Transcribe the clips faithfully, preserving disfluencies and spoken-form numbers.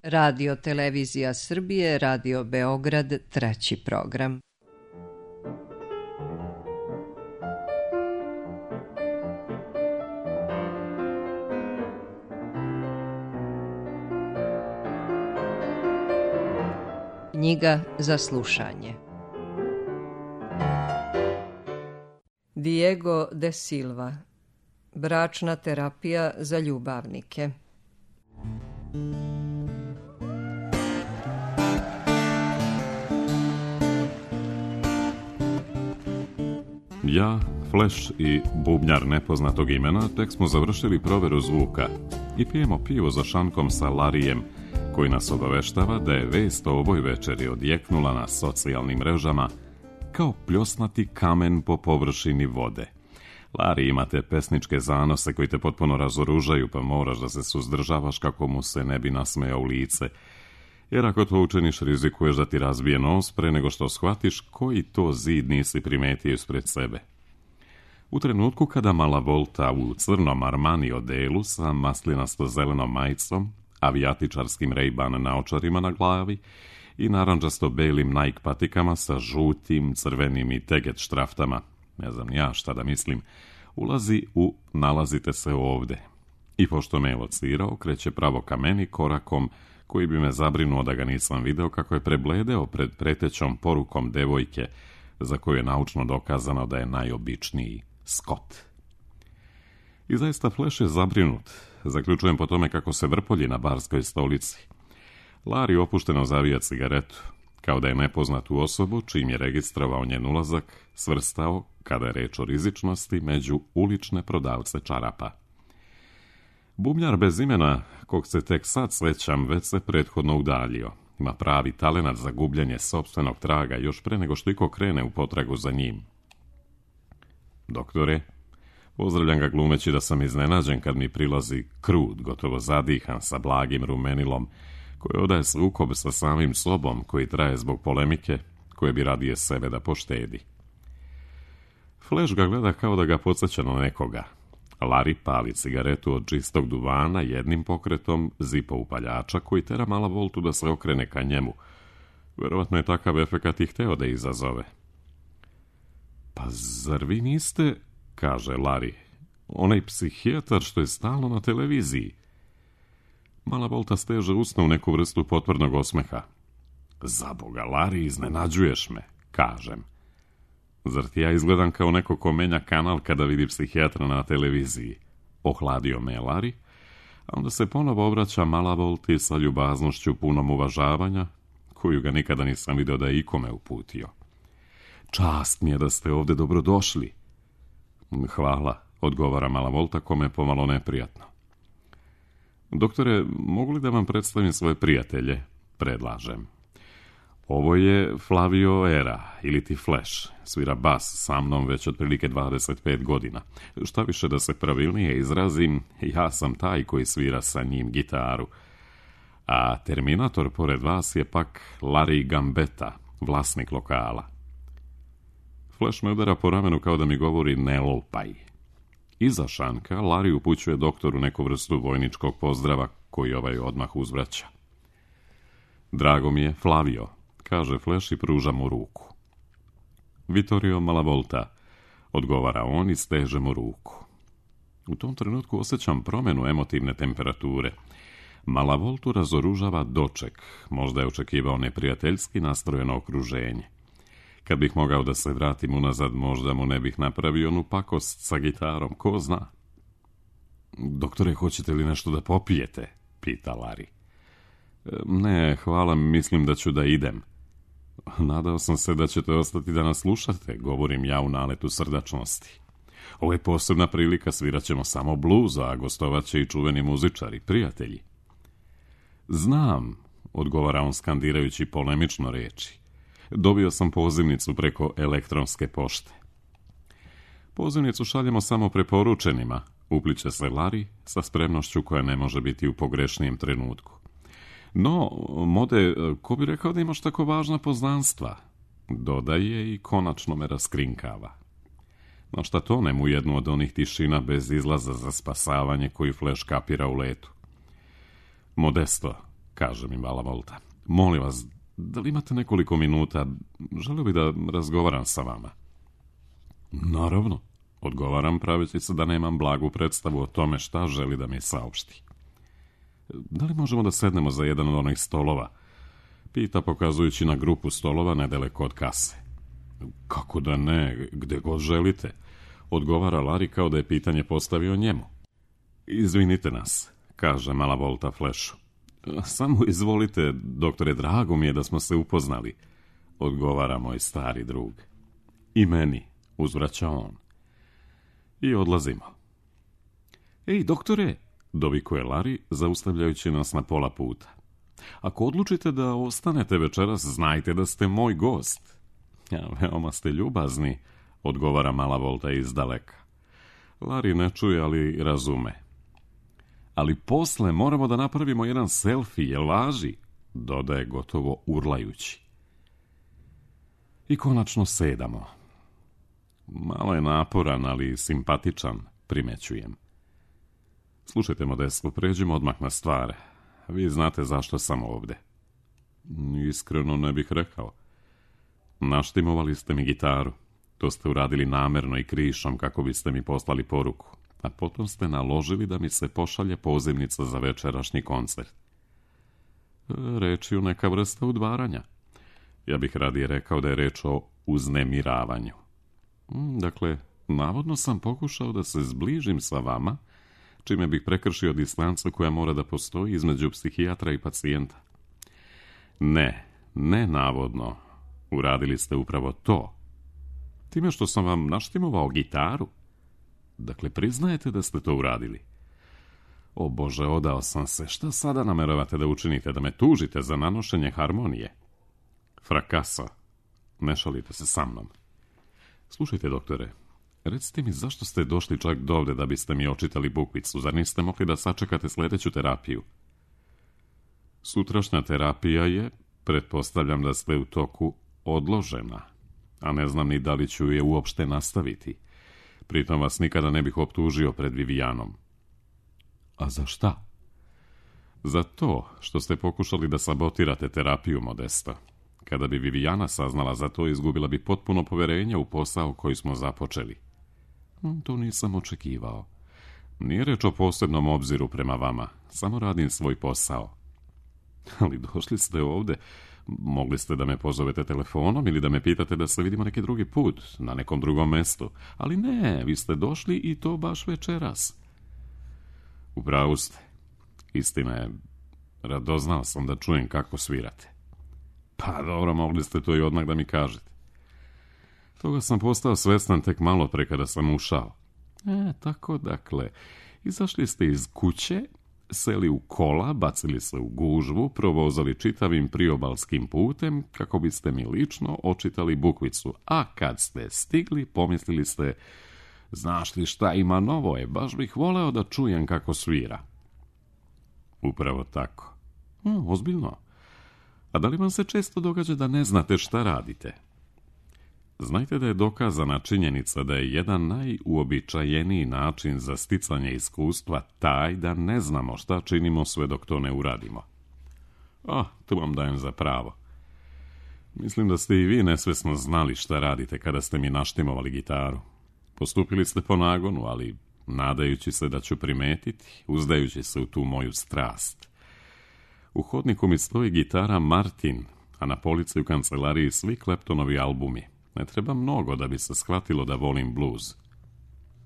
Radio Televizija Srbije, Radio Beograd, treći program. Knjiga za slušanje. Diego de Silva. Bračna terapija za ljubavnike. Ja, Flash i bubnjar nepoznatog imena tek smo završili proveru zvuka i pijemo pivo za šankom sa Larijem, koji nas obaveštava da je vest o ovoj večeri odjeknula na socijalnim mrežama kao pljosnati kamen po površini vode. Lari, ima te pesničke zanose koji te potpuno razoružaju, pa moraš da se suzdržavaš kako mu se ne bi nasmejao u lice. Jer ako to učiniš, rizikuješ da ti razbije nos pre nego što shvatiš koji to zid nisi primetio ispred sebe. U trenutku kada mala Volta u crnom Armani odelu sa maslinasto-zelenom majicom, avijatičarskim Ray-Ban naočarima na glavi i naranđasto-belim Nike patikama sa žutim, crvenim i teget štraftama, ne znam ja šta da mislim, ulazi u nalazite se ovde. I pošto me je locirao, kreće pravo ka meni korakom koji bi me zabrinuo da ga nisam video kako je prebledeo pred pretećom porukom devojke za koju je naučno dokazano da je najobičniji Scott. I zaista Flash je zabrinut. Zaključujem po tome kako se vrpolji na barskoj stolici. Lari opušteno zavija cigaretu, kao da je nepoznatu osobu, čim je registrovao njen ulazak, svrstao, kada je reč o rizičnosti, među ulične prodavce čarapa. Bubnjar bez imena, kog se tek sad svećam, već se prethodno udaljio. Ima pravi talenat za gubljenje sopstvenog traga još pre nego što iko krene u potragu za njim. Doktore, pozdravljam ga glumeći da sam iznenađen kad mi prilazi krut, gotovo zadihan sa blagim rumenilom, koji odaje sukob sa samim sobom koji traje zbog polemike, koje bi radije sebe da poštedi. Flash ga gleda kao da ga podsjeća na nekoga. Lari pali cigaretu od čistog duvana jednim pokretom zipa upaljača koji tera mala Voltu da se okrene ka njemu. Verovatno je takav efekat i hteo da izazove. Pa zar vi niste, kaže Lari, onaj psihijatar što je stalno na televiziji? Mala Volta steže usna u neku vrstu potvrdnog osmeha. Za Boga, Lari, iznenađuješ me, kažem. Zar ti ja izgledam kao neko ko menja kanal kada vidi psihijatra na televiziji? Ohladio me je Lari, a onda se ponovo obraća mala Volti sa ljubaznošću punom uvažavanja, koju ga nikada nisam video da je ikome uputio. Čast mi je da ste ovde dobrodošli. Hvala, odgovara mala Volta, kome je pomalo neprijatno. Doktore, mogu li da vam predstavim svoje prijatelje? Predlažem. Ovo je Flavio Era, ili ti Flash, svira bas sa mnom već otprilike dvadeset pet godina. Šta više da se pravilnije izrazim, ja sam taj koji svira sa njim gitaru. A Terminator pored vas je pak Larry Gambetta, vlasnik lokala. Flash me udara po ramenu kao da mi govori ne lupaj. Iza šanka Lari upućuje doktoru neku vrstu vojničkog pozdrava koji ovaj odmah uzvraća. Drago mi je, Flavio, kaže Flash i pruža mu ruku. Vittorio Malavolta, odgovara on i steže mu ruku. U tom trenutku osjećam promjenu emotivne temperature. Malavoltu razoružava doček, možda je očekivao neprijateljski nastrojeno okruženje. Kad bih mogao da se vratim unazad, možda mu ne bih napravio onu pakost sa gitarom, ko zna. Doktore, hoćete li nešto da popijete? Pita Lari. Ne, hvala, mislim da ću da idem. Nadao sam se da ćete ostati da nas slušate, govorim ja u naletu srdačnosti. Ovo je posebna prilika, svirat ćemo samo bluza, a gostovat će i čuveni muzičari, prijatelji. Znam, odgovara on skandirajući polemično reči. Dobio sam pozivnicu preko elektronske pošte. Pozivnicu šaljemo samo preporučenima, upliče se Lari sa spremnošću koja ne može biti u pogrešnijem trenutku. No, Mode, ko bi rekao da imaš tako važna poznanstva? Dodaje i konačno me raskrinkava. No šta tonem u jednu od onih tišina bez izlaza za spasavanje koji Flash kapira u letu. Modesto, kaže mi Mala Volta. Molim vas, da li imate nekoliko minuta? Želio bih da razgovaram sa vama. Naravno, odgovaram praveći se da nemam blagu predstavu o tome šta želi da mi saopšti. Da li možemo da sednemo za jedan od onih stolova? Pita pokazujući na grupu stolova nedaleko od kase. Kako da ne, gde god želite, odgovara Larry kao da je pitanje postavio njemu. Izvinite nas, kaže Mala Volta Flashu. Samo izvolite, doktore, drago mi je da smo se upoznali, odgovara moj stari drug. I meni, uzvraća on. I odlazimo. Ej, doktore, dovikuje Larry, zaustavljajući nas na pola puta. Ako odlučite da ostanete večeras, znajte da ste moj gost. Ja, veoma ste ljubazni, odgovara Mala Volta iz daleka. Larry ne čuje, ali razume. Ali posle moramo da napravimo jedan selfie, jel važi? Dodaje gotovo urlajući. I konačno sedamo. Malo je naporan, ali simpatičan, primećujem. Slušajte, Modesto, pređimo odmah na stvar. Vi znate zašto sam ovde. Iskreno ne bih rekao. Naštimovali ste mi gitaru. To ste uradili namerno i krišom kako biste mi poslali poruku. A potom ste naložili da mi se pošalje pozivnica za večerašnji koncert. Reč je o neka vrsta udvaranja. Ja bih radije rekao da je reč o uznemiravanju. Dakle, navodno sam pokušao da se zbližim sa vama, čime bih prekršio distancu koja mora da postoji između psihijatra i pacijenta. Ne, ne navodno. Uradili ste upravo to. Time što sam vam naštimovao gitaru. Dakle, priznajete da ste to uradili. O Bože, odao sam se. Šta sada nameravate da učinite? Da me tužite za nanošenje harmonije? Frakaso. Ne šalite se sa mnom. Slušajte, doktore, recite mi zašto ste došli čak dovde da biste mi očitali bukvicu? Zar niste mogli da sačekate sljedeću terapiju? Sutrašnja terapija je, pretpostavljam da ste u toku, odložena, a ne znam ni da li ću je uopšte nastaviti. Pritom vas nikada ne bih optužio pred Vivijanom. A za šta? Za to što ste pokušali da sabotirate terapiju, Modesto. Kada bi Vivijana saznala za to, izgubila bi potpuno poverenje u posao koji smo započeli. To nisam očekivao. Nije reč o posebnom obziru prema vama, samo radim svoj posao. Ali došli ste ovde, mogli ste da me pozovete telefonom ili da me pitate da se vidimo neki drugi put, na nekom drugom mestu. Ali ne, vi ste došli i to baš večeras. Upravo ste. Istina je, radoznao sam da čujem kako svirate. Pa dobro, mogli ste to i odmah da mi kažete. Toga sam postao svestan tek malo pre kada sam ušao. E, tako dakle, izašli ste iz kuće, seli u kola, bacili se u gužvu, provozali čitavim priobalskim putem kako biste mi lično očitali bukvicu. A kad ste stigli, pomislili ste, znaš li šta ima novo je, baš bih voleo da čujem kako svira. Upravo tako. Hm, ozbiljno. A da li vam se često događa da ne znate šta radite? Znajte da je dokazana činjenica da je jedan najuobičajeniji način za sticanje iskustva taj da ne znamo šta činimo sve dok to ne uradimo. A, tu vam dajem za pravo. Mislim da ste i vi nesvesno znali šta radite kada ste mi naštimovali gitaru. Postupili ste po nagonu, ali nadajući se da ću primetiti, uzdajući se u tu moju strast. U hodniku mi stoji gitara Martin, a na polici u kancelariji svi Claptonovi albumi. Ne treba mnogo da bi se shvatilo da volim blues.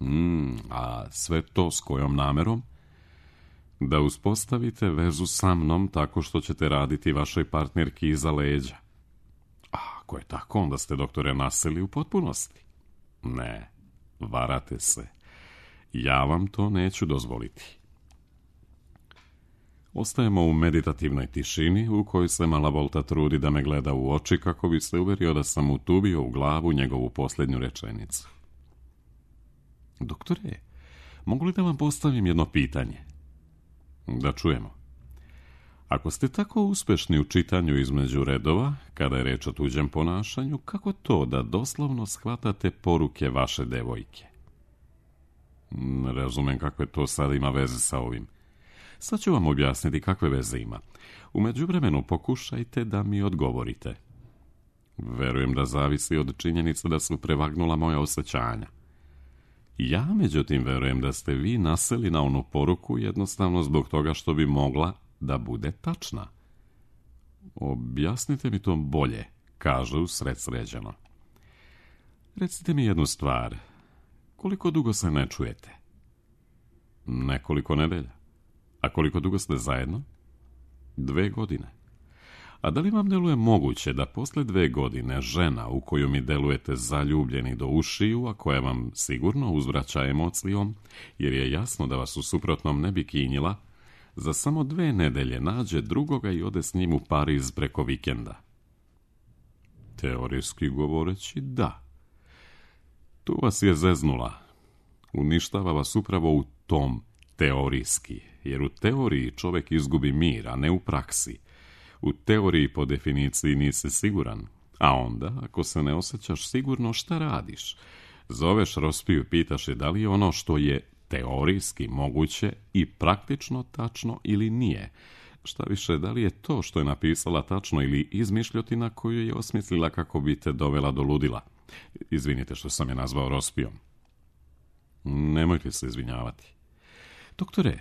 Mm, a sve to s kojom namerom? Da uspostavite vezu sa mnom tako što ćete raditi vašoj partnerki iza leđa. A ako je tako, onda ste, doktore, naseli u potpunosti. Ne, varate se. Ja vam to neću dozvoliti. Ostajemo u meditativnoj tišini u kojoj se Mala Volta trudi da me gleda u oči kako bi se uverio da sam utubio u glavu njegovu posljednju rečenicu. Doktore, mogu li da vam postavim jedno pitanje? Da čujemo. Ako ste tako uspešni u čitanju između redova, kada je reč o tuđem ponašanju, kako to da doslovno shvatate poruke vaše devojke? Ne razumem kakve to sad ima veze sa ovim. Sad ću vam objasniti kakve veze ima. U međuvremenu pokušajte da mi odgovorite. Verujem da zavisi od činjenice da su prevagnula moja osjećanja. Ja, međutim, verujem da ste vi naseli na onu poruku jednostavno zbog toga što bi mogla da bude tačna. Objasnite mi to bolje, kaže usred sređeno. Recite mi jednu stvar. Koliko dugo se ne čujete? Nekoliko nedelja. A koliko dugo ste zajedno? Dve godine. A da li vam deluje moguće da posle dve godine žena u koju mi delujete zaljubljeni do ušiju, a koja vam sigurno uzvraća emocijom, jer je jasno da vas u suprotnom ne bi kinjila, za samo dve nedelje nađe drugoga i ode s njim u Pariz preko vikenda? Teorijski govoreći, da. Tu vas je zeznula. Uništava vas upravo u tom teorijski, jer u teoriji čovjek izgubi mir, a ne u praksi. U teoriji po definiciji nisi siguran, a onda, ako se ne osjećaš sigurno, šta radiš? Zoveš Rospiju i pitaš je da li je ono što je teorijski moguće i praktično tačno ili nije. Šta više, da li je to što je napisala tačno ili izmišljotina koju je osmislila kako bi te dovela do ludila. Izvinite što sam je nazvao Rospijom. Nemojte se izvinjavati. Doktore,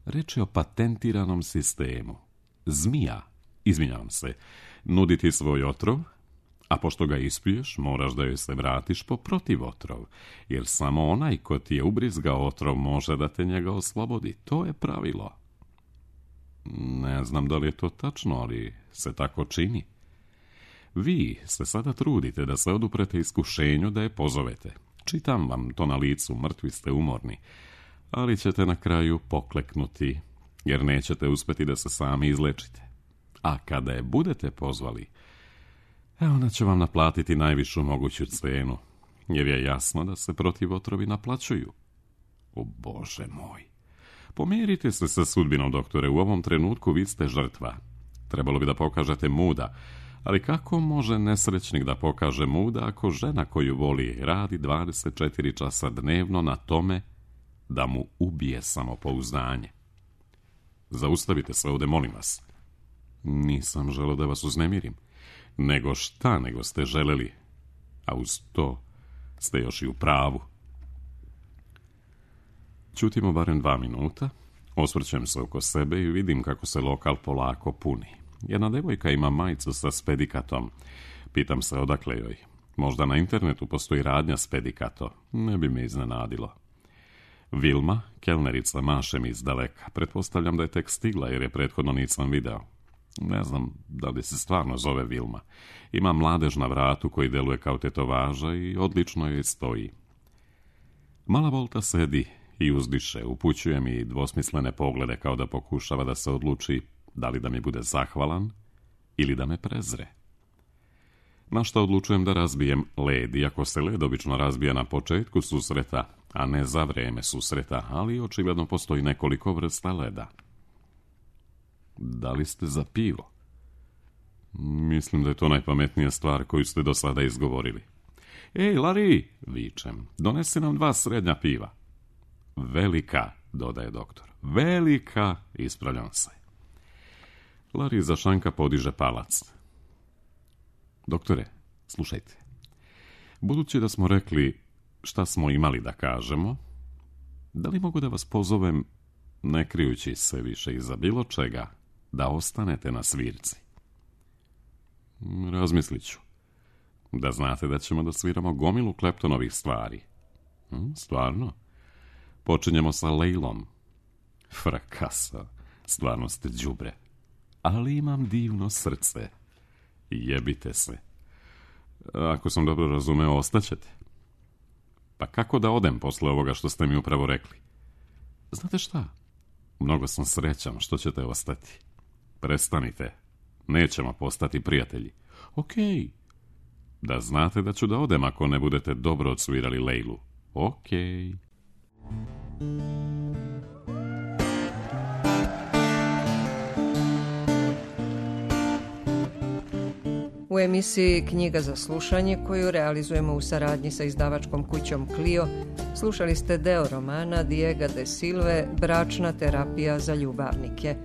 reč je o patentiranom sistemu. Zmija, izvinjavam se, nudi ti svoj otrov, a pošto ga ispiješ, moraš da joj se vratiš po protiv otrov, jer samo onaj ko ti je ubrizgao otrov može da te njega oslobodi. To je pravilo. Ne znam da li je to tačno, ali se tako čini. Vi se sada trudite da se oduprete iskušenju da je pozovete. Čitam vam to na licu, mrtvi ste umorni, ali ćete na kraju pokleknuti, jer nećete uspjeti da se sami izlečite. A kada je budete pozvali, ona će vam naplatiti najvišu moguću cenu, jer je jasno da se protiv otrovi naplaćuju. O Bože moj! Pomirite se sa sudbinom, doktore, u ovom trenutku vi ste žrtva. Trebalo bi da pokažete muda, ali kako može nesrećnik da pokaže muda ako žena koju voli radi dvadeset četiri časa dnevno na tome da mu ubije samopouzdanje? Zaustavite se ovdje, molim vas. Nisam želeo da vas uznemirim. Nego šta nego ste želeli, a uz to ste još i u pravu. Ćutimo barem dva minuta, osvrćem se oko sebe i vidim kako se lokal polako puni. Jedna devojka ima majicu sa spedikatom. Pitam se odakle joj. Možda na internetu postoji radnja spedikato. Ne bi me iznenadilo. Vilma, kelnerica, maše mi izdaleka. Pretpostavljam da je tek stigla jer je prethodno nisam video. Ne znam da li se stvarno zove Vilma. Ima mladež na vratu koji deluje kao tetovaža i odlično joj stoji. Mala Volta sedi i uzdiše, upućuje mi dvosmislene poglede kao da pokušava da se odluči da li da mi bude zahvalan ili da me prezre. Na šta odlučujem da razbijem led, iako se led obično razbija na početku susreta, a ne za vreme susreta, ali očigledno postoji nekoliko vrsta leda. Da li ste za pivo? Mislim da je to najpametnija stvar koju ste do sada izgovorili. Ej, Larry, vičem, donesi nam dva srednja piva. Velika, dodaje doktor. Velika, ispravljam se. Larry za šanka podiže palac. Doktore, slušajte. Budući da smo rekli šta smo imali da kažemo, da li mogu da vas pozovem, ne krijući se više iza bilo čega, da ostanete na svirci? Razmislit ću. Da znate da ćemo da sviramo gomilu Kleptonovih stvari. Hm, stvarno? Počinjemo sa Lejlom. Frakasa, stvarno ste đubre. Ali imam divno srce. Jebite se. Ako sam dobro razumeo, ostaćete. Pa kako da odem posle ovoga što ste mi upravo rekli? Znate šta? Mnogo sam srećan što ćete ostati. Prestanite. Nećemo postati prijatelji. Okej. Da znate da ću da odem ako ne budete dobro odsvirali Lejlu. Okej. U emisiji Knjiga za slušanje, koju realizujemo u saradnji sa izdavačkom kućom Clio, Slušali ste deo romana Diega de Silve Bračna terapija za ljubavnike.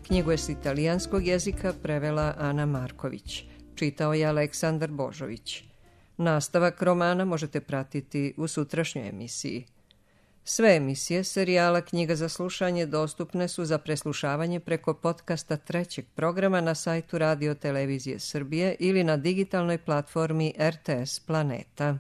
Knjigu je s italijanskog jezika prevela Ana Marković. Čitao je Aleksandar Božović. Nastavak romana možete pratiti u sutrašnjoj emisiji. Sve emisije serijala Knjiga za slušanje dostupne su za preslušavanje preko podcasta trećeg programa na sajtu Radio Televizije Srbije ili na digitalnoj platformi R T S Planeta.